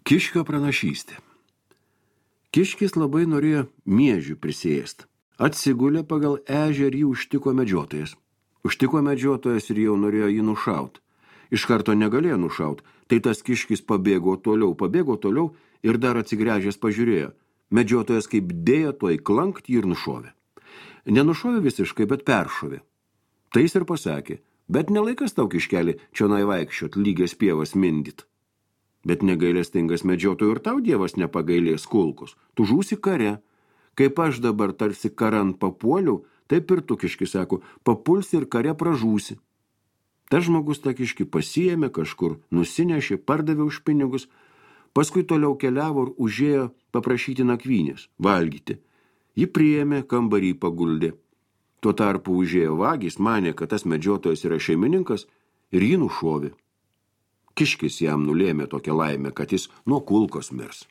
Kiškio pranašystė. Kiškis labai norėjo miežių prisėsti. Atsigulė pagal ežį ir jį užtiko medžiotojas. Užtiko medžiotojas ir jau norėjo jį nušaut. Iš karto negalėjo nušaut, tai tas kiškis pabėgo toliau ir dar atsigręžęs pažiūrėjo. Medžiotojas kaip dėjo toj klankt jį ir nušovė. Nenušovė visiškai, bet peršovė. Tai jis ir pasakė, bet nelaikas tau kiškelį čionai vaikščiot, lygias pievas mindyt. Bet negailestingas medžiotojų ir tau Dievas nepagailės kulkus. Tu žūsi kare. Kaip aš dabar tarsi karan papuoliau, taip ir tu, kiškis, sako, papulsi ir kare pražūsi. Tas žmogus tą kiškį pasiėmė kažkur, nusinešė, pardavė už pinigus, paskui toliau keliavo ir užėjo paprašyti nakvynės, valgyti. Ji priėmė, kambarį paguldė. Tuo tarpu užėjo vagis, manė, kad tas medžiotojas yra šeimininkas ir jį nušovė. Kiškis jam nulėmė tokią laimę, kad jis nuo kulkos mirs.